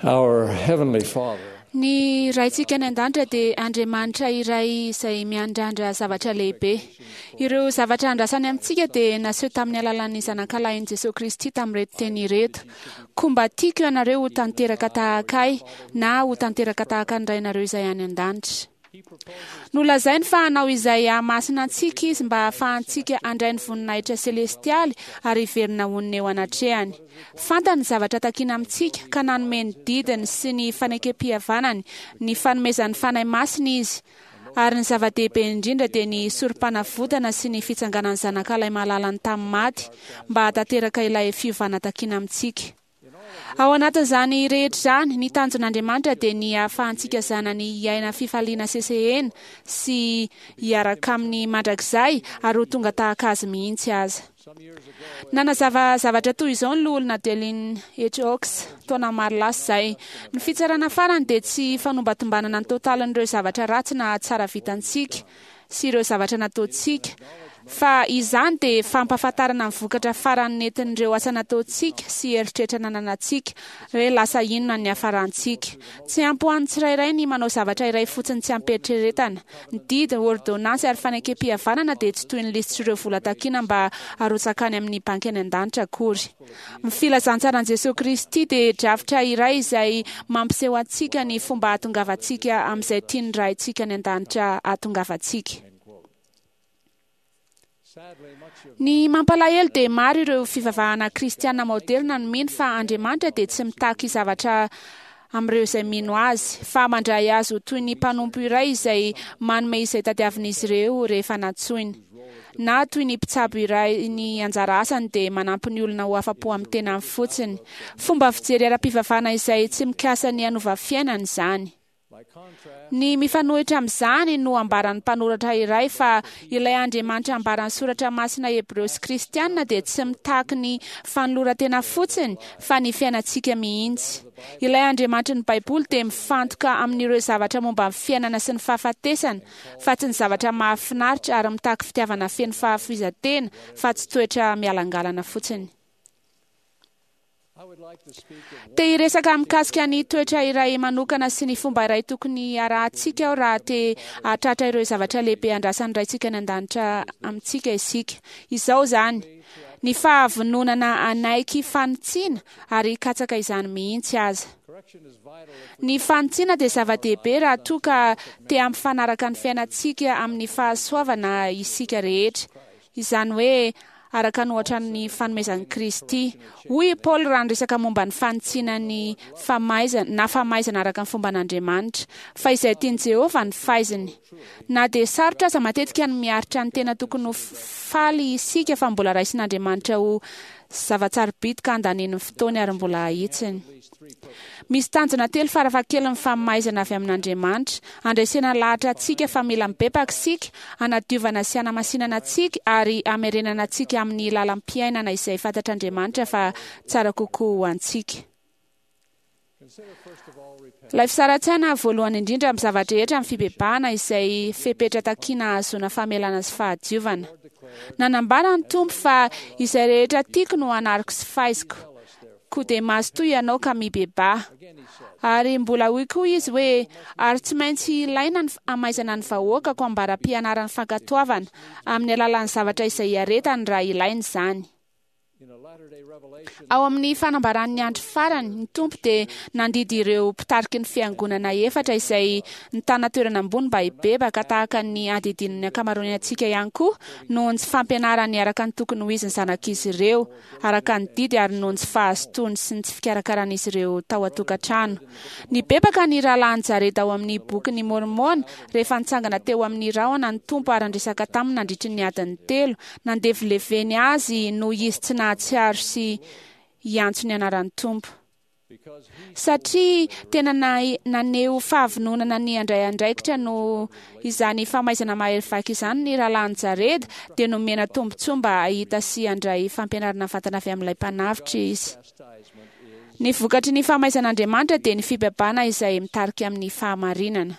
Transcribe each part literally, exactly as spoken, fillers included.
Our Heavenly Father Ny Raintsika any an-danitra dia Andriamanitra iray izay miandrandra zavatra lehibe. Ireo zavatra andrasany amintsika dia naseho tamin'ny alalan'ny Zanakalahin'i Jesoa Kristy tamin'ireto teny ireto: Koa mba tiako ianareo ho tanteraka tahaka Ahy, na ho tanteraka tahaka ny Rainareo izay any an-danitra. Nolazainy fa hanao izay hahamasina antsika Izy mba hahafahantsika handray ny voninahitra selestialy ary hiverina honina eo anatrehany. Fantany ny zavatra takina amintsika ka nanome ny didiny sy ny fanekempihavanany, ny fanomezan'ny Fanahy Masina Izy, ary ny zava-dehibe indrindra dia ny Sorompanavotana sy ny fitsanganan'ny Zanakalahy malalany tamin'ny maty mba hahatanteraka ilay fiovana takina amintsika. Ao anatin'izany rehetra izany, ny tanjon'Andriamanitra dia ny hahafahantsika zanany hiaina fifaliana sesehena sy hiaraka aminy mandrakizay ary ho tonga tahaka azy mihitsy aza. Nanazava zavatra toy izao ny Loholona Dallin H. Oaks, taona maro lasa izay, Ny fitsarana farany dia tsy fanombantombanana ny totalin'ireo zavatra ratsy na tsara vitantsika, sy ireo zavatra nataontsika, fa izany dia fampahafantarana ny vokatra farany nentin'ireo asa nataontsika sy eritreritra nananantsika, hoe lasa inona ny niafarantsika. Tsy ampy ho an'ny tsirairay ny manao zavatra iray fotsiny tsy amim-pieritreretana. Ny didy, ôrdônansy ary fanekempihavanana dia tsy toy ny lisitr'ireo vola takiana mba harotsaka any amin'ny banky any an-danitra akory. Ny filazantsaran'i Jesoa Kristy dia drafitra iray izay mampiseho antsika ny fomba hahatongavantsika amin'izay tian'ny Raintsika any An-danitra hahatongavantsika. Ny mampalahelo dia maro ireo fivavahana kristiana maoderina no mino fa Andriamanitra dia tsy mitaky zavatra amin'ireo izay mino Azy, fa mandray azy ho toy ny mpanompo iray izay manome izay tadiavin'izy ireo rehefa nantsoiny. Na toy ny mpitsabo iray ny anjara asany dia manampy ny olona ho afa-po amin'ny tenany fotsiny. Fomba fijery ara-pivavahana izay tsy mikasa ny hanova fiainana izany. Ny mifanohitra amin'izany no ambaran'ny mpanoratra iray fa ilay Andriamanitra ambaran'ny Soratra Masina Hebreo sy Kristiana dia tsy mitaky ny fanoloran-tena fotsiny fa ny fiainantsika mihitsy. Ilay Andriamanitry ny Baiboly dia mifantoka amin'ireo zavatra momba ny fiainana sy ny fahafatesana fa tsy ny zavatra mahafinaritra ary mitaky fitiavana feno fahafoizan-tena fa tsy toetra mialangalana fotsiny. Te hiresaka mikasika ny toetra iray manokana sy ny fomba iray tokony harahantsika aho raha te hahatratra ireo zavatra lehibe andrasan'ny Raintsika any An-danitra amintsika isika. Izao izany, ny fahavononana hanaiky fanitsiana ary hikatsaka izany mihitsy aza. Ny fanitsiana dia zava-dehibe raha toa ka te hampifanaraka ny fiainantsika amin'ny fahasoavana isika rehetra. Izany hoe, araka ny ohatra ny fanomezan'i Kristy. Hoy i Paoly raha niresaka momba ny fanitsiana ny famaizana, na famaizana araka ny fomban'Andriamanitra, fa izay tian'i Jehovah no faiziny. Na dia sarotra aza matetika ny miaritra ny tena tokony ho faly isika fa mbola raisin'Andriamanitra ho zava-tsarobidy ka andaniany ny fotoany ary mbola ahitsiny. Misy tanjona telo farafahakeliny ny famaizana avy amin'Andriamanitra, handresena lahatra antsika fa mila mibebaka isika, hanadiovana sy hanamasinana antsika ary hamerenana antsika amin'ny lalam-piainana izay fantatr'Andriamanitra fa tsara kokoa ho antsika. Ilay fisaran-tsaina voalohany indrindra amin'ny zava-drehetra ny fibebahana izay fepetra takiana hahazoana famelana sy fahadiovana. Nanambara ny Tompo fa izay rehetra tiako no anariko sy faiziko. Koa dia mazotoa ianao ka mibebaha. Ary mbola hoy koa izy hoe, Ary tsy maintsy ilaina ny hamaizana ny vahoakako ambara-pianarany fankatoavana, amin'ny alalan'ny zavatra izay iaretany raha ilaina izany. Ao amin'ny fanambaran'ny andro farany, ny Tompo dia nandidy ireo mpitariky ny Fiangonana efatra izay nitana toerana ambony mba hibebaka tahaka ny andidian'ny ankamaroany antsika ihany koa noho ny tsy fampianarany araka ny tokony ho izy ny zanak'izy ireo araka ny didy ary noho ny tsy fahazotoany sy ny tsy fikarakaran'izy ireo tao an-tokantrano. Nibebaka ny rahalahin'i Jareda ao amin'ny Bokin'i Môrmôna rehefa nitsangana teo amin'ny rahona ny Tompo ary niresaka taminy nandritry ny adiny telo. Nandevileveny azy noho izy tsy nahatsiaro sy hiantso ny anaran'ny Tompo. Satria tena naneho fahavononana ny handray andraikitra noho izany famaizana mahery vaika izany ny rahalahin'i Jareda, dia nomena tombontsoa mba hahita sy handray fampianarana mivantana avy amin'ilay Mpanavotra izy. Ny vokatry ny famaizan'Andriamanitra dia ny fibebahana izay mitarika amin'ny fahamarinana.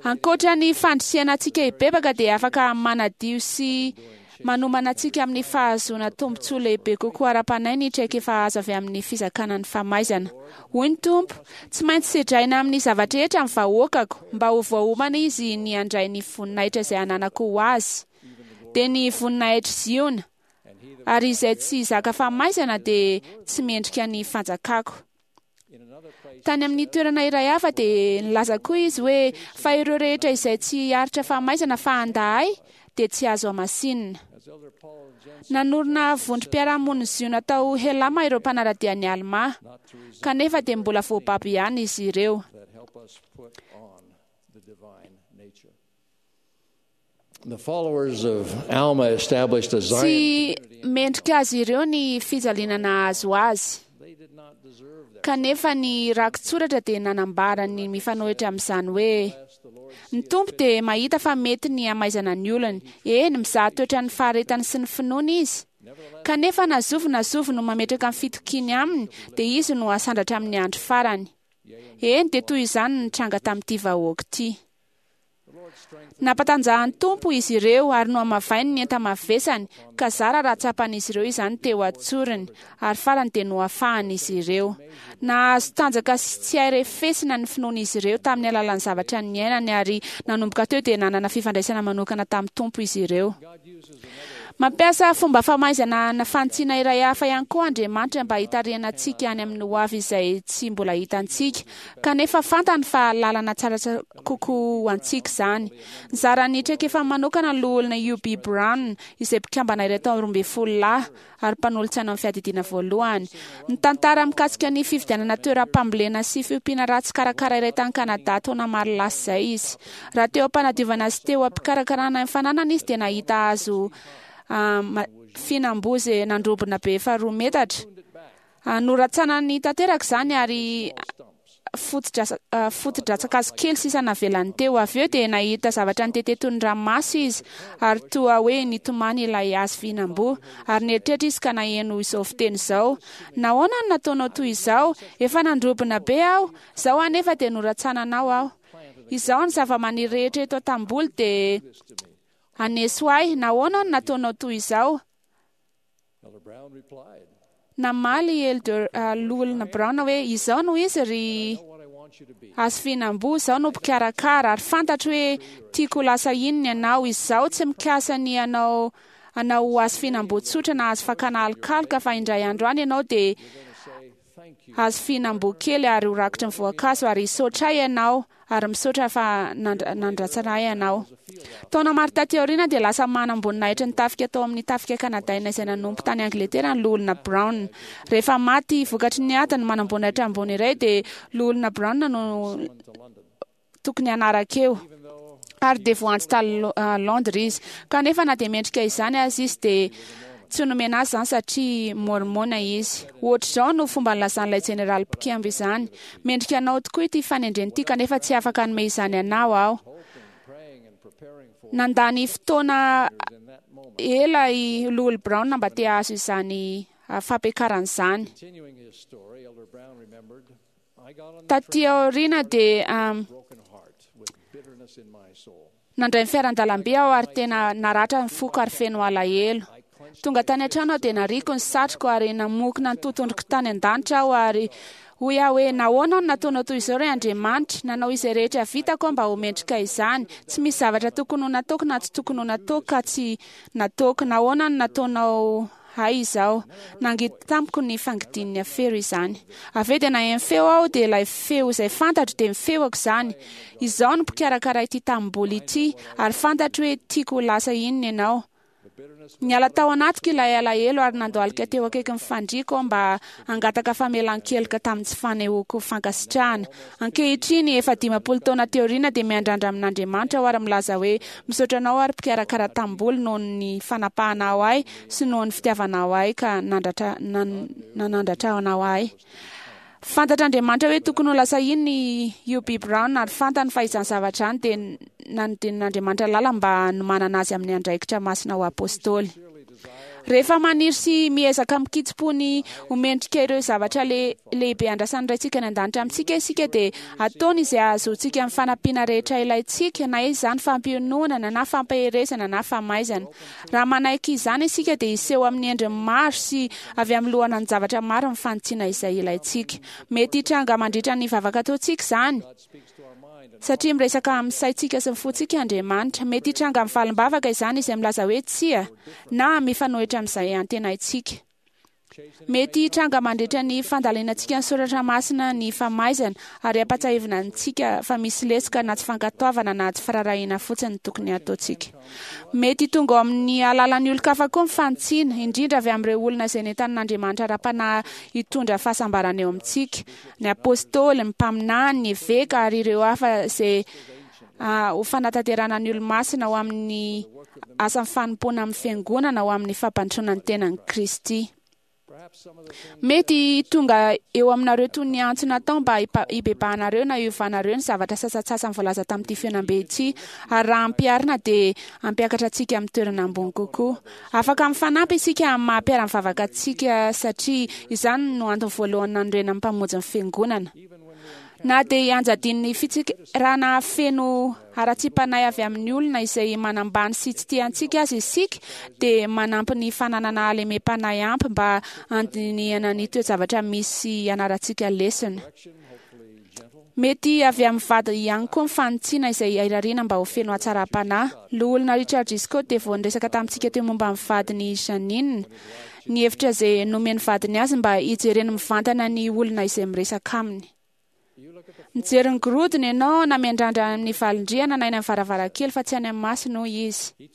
Ankoatra ny fandrisihana antsika hibebaka dia afaka manadio sy Manomana antsika amin'ny fahazoana tombontsoa lehibe kokoa ara-panahy ny traikefa azo avy amin'ny fizakana ny famaizana. Hoy ny Tompo: "Tsy maintsy sedraina amin'ny zavatra rehetra ny vahoakako mba ho voaomana izy ny handray ny voninahitra izay ananako ho azy, dia ny voninahitr'i Ziona, ary izay tsy zaka famaizana dia tsy mendrika ny fanjakako." Tany amin'ny toerana iray hafa dia nilaza koa izy hoe: "Fa ireo rehetra izay tsy hiaritra famaizana fa handà ahy dia tsy azo hamasinina." Nanorina vondrom-piarahamonin'i Ziona tao Helama ireo mpanara-dia an'i Almà, kanefa dia mbola voababo ihany izy ireo. The followers of Alma established a Zion. Tsy mendrika azy ireo ny fijaliana nahazo azy, kanefa ny rakitsoratra dia nanambara ny mifanohitra amin'izany hoe: "Ny Tompo dia mahita fa mety ny hamaizana ny olony, eny, mizaha toetra ny faharetany sy ny finoany izy. Kanefa na zovy na zovy no mametraka ny fitokiany aminy, dia izy no hasandratra amin'ny andro farany." Eny, dia toy izany no nitranga tamin'ity vahoaka ity. Nampatanjahan'ny Tompo izy ireo ary nohamavainy ny enta-mavesany, ka zara raha tsapan'izy ireo izany teo an-tsorony, ary farany dia nohafahana izy ireo. Nahazo tanjaka sy tsy hay refesina ny finoan'izy ireo tamin'ny alalan'ny zavatra niainany, ary nanomboka teo dia nanana fifandraisana manokana tamin'ny Tompo izy ireo. Mampiasa fomba famaizana na fanitsiana iray hafa ihany koa Andriamanitra mba hitarihana antsika any amin'ny hoavy izay tsy mbola hitantsika, kanefa fantany fa lalana tsara kokoa ho antsika izany. Nizara ny traikefa manokana ny loholona U B Brown, izay mpikambana iray tao roa ambin'ny folo lahy ary mpanolotsaina amin'ny fiadidiana voalohany. Nitantara mikasika ny fividianana toeram-pambolena sy fiompiana ratsy karakara iray tany Kanada taona maro lasa izay izy. Raha teo am-panadiovana sy teo am-pikarakarana ny fananana izy dia nahita hazo fihinam-boa izay nandrobona be efa roa metatra. Noratsanany tanteraka izany ary foto-dratsan-kazo kely sisa navelany teo. Avy eo dia nahita zavatra nitete toy ny ranomaso izy, ary toa hoe nitomany ilay hazo fihinam-boa. Ary nieritreritra izy ka naheno izao fiteny izao: "Nahoana no nataonao toy izao? Efa nandrobona be aho, izao anefa dia noratsananao aho. Izao ny zava-maniry rehetra eto an-tamboly dia haneso ahy. Nahoana no nataonao toy izao?" Namaly Elder loholona Brown hoe: "Izao no izy ry hazo fihinam-boa, izaho no mpikarakara, ary fantatro hoe tiako ho lasa inona ianao. Izaho tsy mikasa ny hanao anao ho hazo fihinam-boa tsotra na hazo fakana alokaloka, fa indray andro any ianao dia hazo fihinam-boa kely ary ho rakotry ny voankazo, ary hisaotra ahy ianao, ary misaotra fa nandratsana ahy ianao." Taona maro taty aoriana dia lasa manam-boninahitry ny tafika tao amin'ny tafika kanadaina izay nanompo tany Angletera ny loholona Brown. Rehefa maty vokatry ny ady ny manam-boninahitra ambony iray dia loholona Brown no tokony hanaraka eo, ary dia voantso tany Londres izy. Kanefa na dia mendrika izany aza izy dia tsy nomena azy izany satria mormona izy. Ohatr'izao no fomba nilazan'ilay jeneraly mpikembo izany: "Mendrika anao tokoa ity fanendrena ity, kanefa tsy afaka hanome izany anao aho." Nandany fotoana ela i loholona Brown mba te hahazo izany fampiakarana izany. Taty aoriana dia nandray ny fiaran-dalambe aho ary tena naratra ny foko ary feno alahelo. Tonga tany an-trano aho dia nariko ny satroko ary namokona ny totondroko tany an-danitra aho, ary hoy aho hoe: "Nahoana no nataonao toy izao ry Andriamanitra? Nanao izay rehetra vitako aho mba ho mendrika izany. Tsy misy zavatra tokony ho nataoko na tsy tokony ho nataoko ka tsy nataoko. Nahoana no nataonao ahy izao?" Nangidy tamiko ny fangidian'ny afero izany. Avy eo dia naheno feo aho, dia ilay feo izay fantatro dia mifeoako izany: "Izao no mpikarakara ity tanimboly ity, ary fantatro hoe tiako ho lasa inona ianao." Niala tao anatiko ilay alahelo ary nandohalika teo akaikin'ny fandriako aho mba hangataka famelan-keloka tamin'ny tsy fanehoako fankasitrahana. Ankehitriny, efa dimampolo taona teo aoriana, dia miandrandra amin'Andriamanitra aho ary milaza hoe: "Misaotra anao ary mpikarakara tanimboly noho ny fanapahanao ahy sy noho ny fitiavanao ahy ka nanandratra anao ahy." Fantatr'Andriamanitra hoe tokony ho lasa inona i U B Brown, ary fantany fa izany zavatra izany dia nanodidin'Andriamanitra lalana mba hanomanana azy amin'ny andraikitra masina ho apôstôly. Rehefa maniry sy miezaka mikitsim-po ny ho mendrika ireo zavatra le, lehibe andrasan'ny Raintsika any an-danitra amintsika isika, dia ataony izay ahazoantsika amin'ny fanampiana rehetra ilaintsika, na izany fampiononana na fampaherezana na famaizana. Raha manaiky izany isika, dia hiseho amin'ny endriny maro sy avy amin'ny loharanon-javatra maro ny fanitsiana izay ilaintsika. Mety hitranga mandritra ny vavaka ataontsika izany, satria miresaka amin'ny saintsika sy ny fontsika Andriamanitra. Mety hitranga amin'ny valim-bavaka izany izay milaza hoe tsia na mifanohitra amin'izay antenaintsika. Mety hitranga mandritra ny fandalinantsika ny soratra masina ny famaizana, ary ampatsiahivina antsika fa misy lesoka na tsy fankatoavana na tsy firaharahiana fotsiny tokony hataontsika. Mety tonga ao amin'ny alalan'ny olon-kafa koa ny fanitsiana, indrindra avy amin'ireo olona izay nentanin'Andriamanitra ara-panahy hitondra fahasambarana eo amintsika, ny apôstôly, ny mpaminany, ny eveka ary ireo hafa izay ho fanatanterahana ny olo-masina ho amin'ny asan'ny fanompoana amin'ny fiangonana, ho amin'ny fampandrosoana ny tenan'i Kristy. Mety tonga eo aminareo toy ny antso natao mba hibebahanareo na hiovanareo ny zavatra sasantsasany voalaza tamin'ity fihaonambe ity, ary raha ampiharina dia hampiakatra antsika amin'ny toerana ambony kokoa. Afaka mifanampy isika amin'ny maha mpiara-mivavaka antsika, satria izany no antony voalohany nanorenan'ny Mpamonjy ny fiangonana. Na dia anjadian'ny fitsikerana feno haratsiam-panahy avy amin'ny olona izay manambany sy tsy tia antsika aza isika, dia manampy ny fananana halemem-panahy ampy mba handinihana ny toe-javatra misy ianarantsika lesona. Mety avy amin'ny vady ihany koa ny fanitsiana izay irariana mba ho feno hatsaram-panahy. Loholona Richard G. Scott dia vao niresaka tamintsika teo momba ny vadiny Janine, ny hevitra izay nomen'ny vadiny azy mba hijereny mivantana ny olona izay miresaka aminy. Mijery ny gorodona ianao na miandrandra amin'ny valindrihana na eny amin'ny varavarankely fa tsy any amin'ny masony, hoy izy.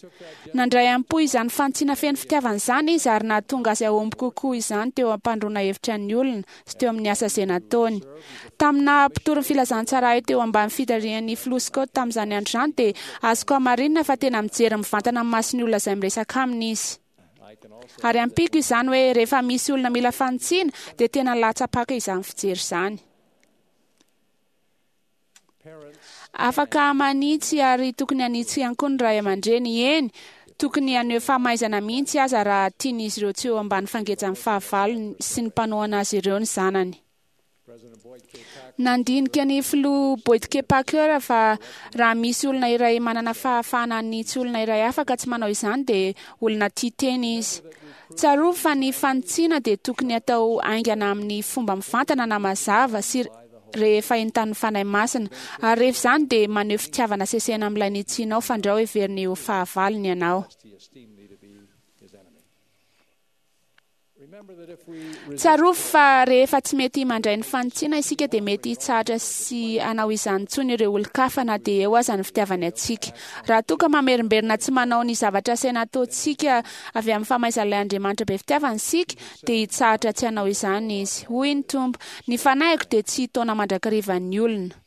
Nandray am-po izany fanitsiana feno fitiavana izany izy, ary nahatonga azy hahomby kokoa izany teo am-pandroana hevitra ny olona sy teo amin'ny asa izay nataony. Tamina mpitory ny filazantsara ahy teo ambany fitarihan'ny filoha Scott tamin'izany andro izany, dia azoko hamarinina fa tena mijery mivantana amin'ny mason'ny olona izay miresaka aminy izy. Ary ampiako izany hoe rehefa misy olona mila fanitsiana, dia tena latsa-paka izany fijery izany. Afaka manitsy ary tokony hanitsy ihany koa ny ray aman-dreny. Eny, tokony haneho famaizana mihitsy aza raha tian'izy ireo tsy eo ambany fangejan'ny fahavalony sy ny mpanohana azy ireo ny zanany. Nandinika ny filoha Boyd K. Packer fa raha misy olona iray manana fahafahana hanitsy olona iray hafa ka tsy manao izany, dia olona tia tena izy. Tsarovy fa ny fanitsiana dia tokony atao haingana amin'ny fomba mivantana na mazava sy rehefa entanin'ny Fanahy Masina, ary rehefa izany dia maneho fitiavana sesehena amin'ilay nitsianao fandrao heveriny ho fahavalony ianao. Tsarovy fa rehefa tsy mety mandray ny fanitsiana isika, dia mety hitsahatra sy hanao izany intsony ireo olon-kafa na dia eo aza ny fitiavany antsika. Raha toa ka mamerimberina tsy manao ny zavatra asaina ataontsika avy amin'ny famaizan'ilay Andriamanitra be fitiavana isika, dia hitsahatra tsy hanao izany izy. Hoy ny Tompo, ny fanahiko dia tsy hitaona mandrakariva ny olona.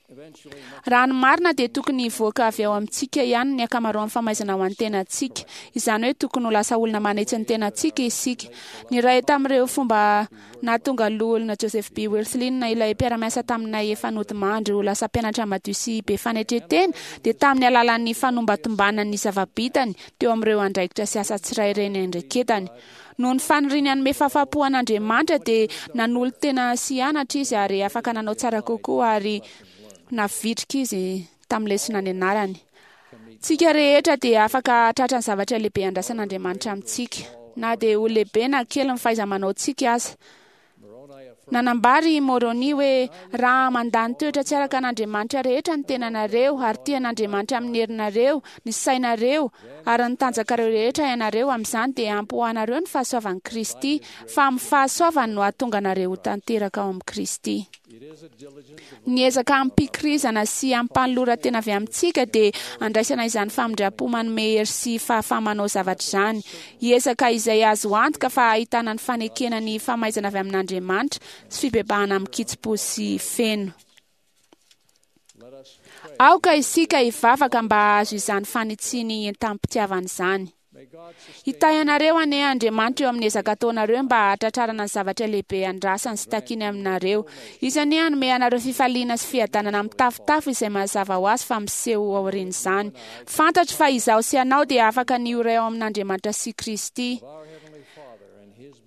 Raha ny marina dia tokony hivoaka avy ao amintsika ihany ny ankamaroan'ny famaizana ho an'ny tenantsika. Izany hoe tokony ho lasa olona manitsy ny tenantsika isika. Ny iray tamin'ireo fomba nahatonga loholona Joseph B. Wirthlin, ilay mpiara-miasa taminay efa nodimandry, ho lasa mpianatra madio sy be fanetren-tena, dia tamin'ny alalan'ny fanombantombanany ny zava-bitany teo amin'ireo andraikitra sy asa tsirairay niandraiketany. Noho ny faniriany hanome fahafahampo an'Andriamanitra, dia nanolo-tena sy hianatra izy ary afaka nanao tsara kokoa, ary navitrika izy tamin'ny lesona nianarany. Tsika rehetra dia afaka hahatratra ny zavatra lehibe andrasan'Andriamanitra amintsika, na dia ho lehibe na kely ny fahaiza-manaontsika aza. Nanambara i Moroni hoe raha mandany toetra tsy araka an'Andriamanitra rehetra ny tenanareo, ary tia an'Andriamanitra amin'ny herinareo, ny sainareo, ary ny tanjakareo rehetra ianareo, amin'izany dia ampy ho anareo ny fahasoavan'i Kristy, fa amin'ny fahasoavany no hahatonga anareo ho tanteraka ao amin'i Kristy. Ny ezaka amim-pikirizana sy amim-panoloran-tena avy amintsika dia andraisana izany famindram-po manome hery sy fahafaha-manao zavatra izany. Hiezaka izay azo antoka fa ahitana ny fanekena ny famaizana avy amin'Andriamanitra sy fibebahana amin-kitsim-po sy feno. Aoka isika hivavaka mba hahazo izany fanitsiany entam-pitiavana izany. Hitahy anareo anie Andriamanitra eo amin'ny ezaka ataonareo mba hahatratrarana ny zavatra lehibe andrasany sy takiany aminareo. Izy anie hanome anareo fifaliana sy fiadanana mitafotafo izay mazava ho azy fa miseho aorian'izany. Fantatro fa izaho sy ianao dia afaka ny ho iray ao amin'Andriamanitra sy Kristy.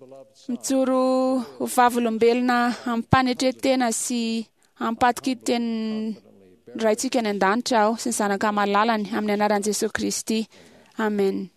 beloved Son, Mijoro ho vavolombelona amim-panetren-tena sy ampatoki-tenin'ny Raintsika any an-danitra aho sy ny Zanaka malalany amin'ny anaran'i Jesosy Kristy. Amen.